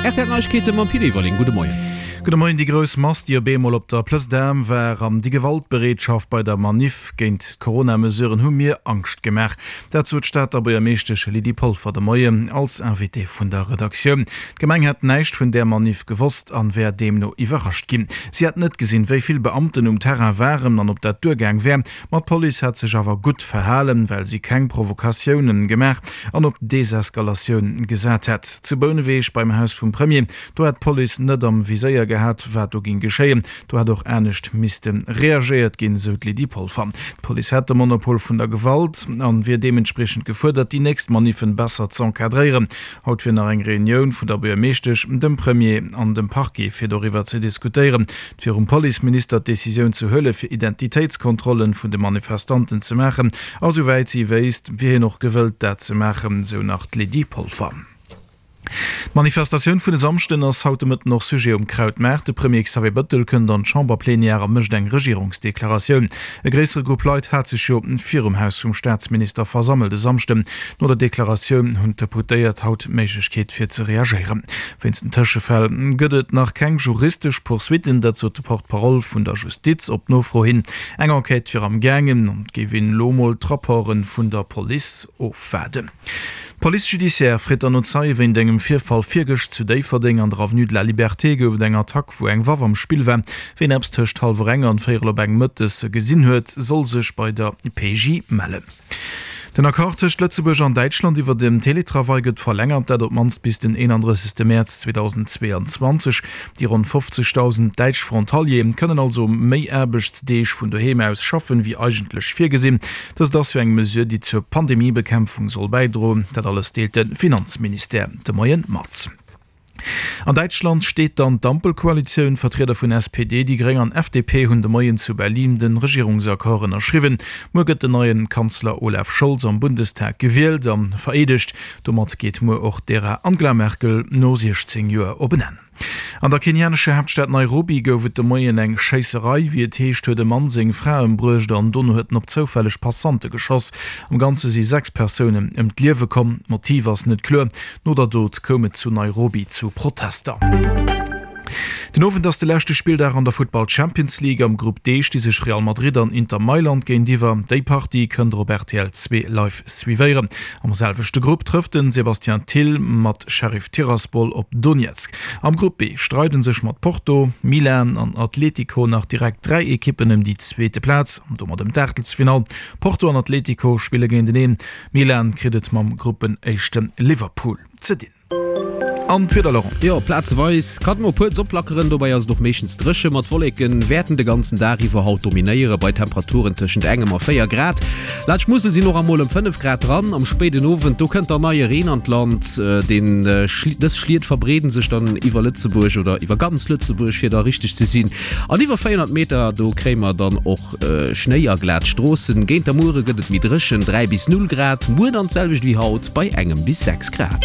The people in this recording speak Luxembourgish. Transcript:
Rtl Neiegkeete mam Pit Everling. Gudde Moien. Gudde Moien. Déi grouss Mass, déi op eemol op der Plëss d'Armes war an déi Gewaltbereetschaft bei der Maniff géint d'Corona-Mesuren hu mir Angscht gemaach. Dat sot d'Stater Buergermeeschtesch Lydie Polfer de Moien als Invitée vun der Redaktioun. D'Gemeng hätt näischt vun där Maniff gewosst an wär deemno iwwerrascht ginn. Si hätt net gesinn, wéi vill Beamten um Terrain waren an ob dat duergaang wär. Ma d'Police hätt sech awer gutt verhalen, well si keng Provokatiounen gemaach an op Deseskalatioun gesat hätt. Zu Bouneweg beim Haus vum Premier, do hätt d'Police net am Viséier gehat, wat do ging geschéien. Do hätt och anescht misste reagéiert ginn, sou d'Lydie Polfer. D'Police hätt de Monopol vun der Gewalt an wier deementspriechend gefuerdert, déi nächst Maniffen besser z'encadréieren. Haut wier nach eng Reunioun vun der Buergermeeschtesch, dem Premier an dem Parquet fir doriwwer ze diskutéieren. Et wier um Policeminister d'Decisioun ze huele fir Identitéitskontrollen vun de Manifestanten ze maachen a souwäit si wéisst, wier hien och gewëllt dat ze maachen, sou nach d'Lydie Polfer. D'Manifestatioun vun e Samschden ass haut de Mëtten och Sujet um Krautmaart. De Premier Xavier Bëttel kënnt an d'Chamberplenière a mécht eng Regierungsdeklaratioun. E gréissere Grupp Leit hat sech jo virum Haus vum Staatsminister versammelt e Samschden. No der Deklaratioun hunn d'Deputéiert haut d'Méiglechkeet fir ze reagéieren. Wéinst den Tëschefäll gëtt et nach keng juristesch Poursuitten, dat sot de Porte-parole vun der Justiz op Nofro hin. Eng Enquête wier am gaangen an et géif een elo mol d'Rapporte vun der Police ofwaarden. D'Police judiciaire freet dann no Zeie wéint engem Virfall virgëscht zu Déifferdeng. An der Avenue de la Liberté gouf et eng Attack, wou eng Waff am Spill war. Ween eppes tëscht hallwer eng an véierel op eng mëttes gesinn huet, soll sech bei der PJ mellen. Den Accord tëscht Lëtzebuerg an Däitschland iwwer den Teletravail gëtt verlängert, dat op d'mannst bis den 31 Mäerz 2022. Déi ronn 50.000 däitsch Frontalieren kënnen also méi Aarbechtsdeeg vun doheem aus schaffen, wéi eigentlech virgesinn. Dëst ass jo eng Mesure, déi zur Pandemiebekämpfung soll bäidroen. Dat alles deelt de Finanzministère de Moien mat. An Däitschland steet dann d'Ampelkoalitioun. Vertrieder vun SPD, déi Gréng an FDP hunn de Moien zu Berlin de Regierungsaccord ënnerschriwwen. Muer gëtt den neien Kanzler Olaf Scholz am Bundestag gewielt a vereedegt. Domat geet muer och d'Ära Angela Merkel no 16 Joer op en Enn. An der kenianescher Haaptstad Nairobi gouf et de Moien eng Schéisserei. Wéi et heescht, huet e Mann seng Fra ëmbruecht an dono huet en op zoufälleg Passante geschoss. Am Ganze si 6 Persounen ëm d'Liewe komm. D'Motiv ass net kloer. No der Dot koum et zu Nairobi zu Protester. Den Owend ass de leschte Spilldag an der Futtball Champions League. Am Grupp D sti sech Real Madrid an Inter Mailand géintiwwer. Déi Partie kënnt der op rtl 2 live suivéieren. Am selwechte Grupp trëfft den Sébastien Thill mat Sheriff Tiraspol op Donezk. Am Grupp B streiden sech mat Porto, Milan an Atletico nach direkt 3 Ekippen ëm déi zweete Plaz an domat ëm d'Aachtelsfinall. Porto an Atletico spille géinteneen. Milan kritt et mam Gruppenéischte Liverpool ze dinn. An d'Wieder, Laurent? Jo, plazeweis kann et mol kuerz oplackeren, dobäi ass et och meeschtens dréche. Ma d'Wolleke wäerten de ganzen Dag iwwer haut dominéiere bei Temperaturen tëschent engem a 4 Grad. Laanscht d'Musel sinn och emol ëm 5 Grad dran. Am spéiden Owend, do kënnt dann neie Reen an d'Land. Deen dës Schliet verbreeden sech dann iwwer Lëtzebuerg oder iwwer ganz Lëtzebuerg, fir da richteg ze sinn. An iwwer 400 Meter, do kréie mer dann och Schnéi a glat Stroossen. Géint der Muere gëtt et méi dréchen, 3 bis 0 Grad. Muer dann d'selwecht wéi haut bei engem bis 6 Grad.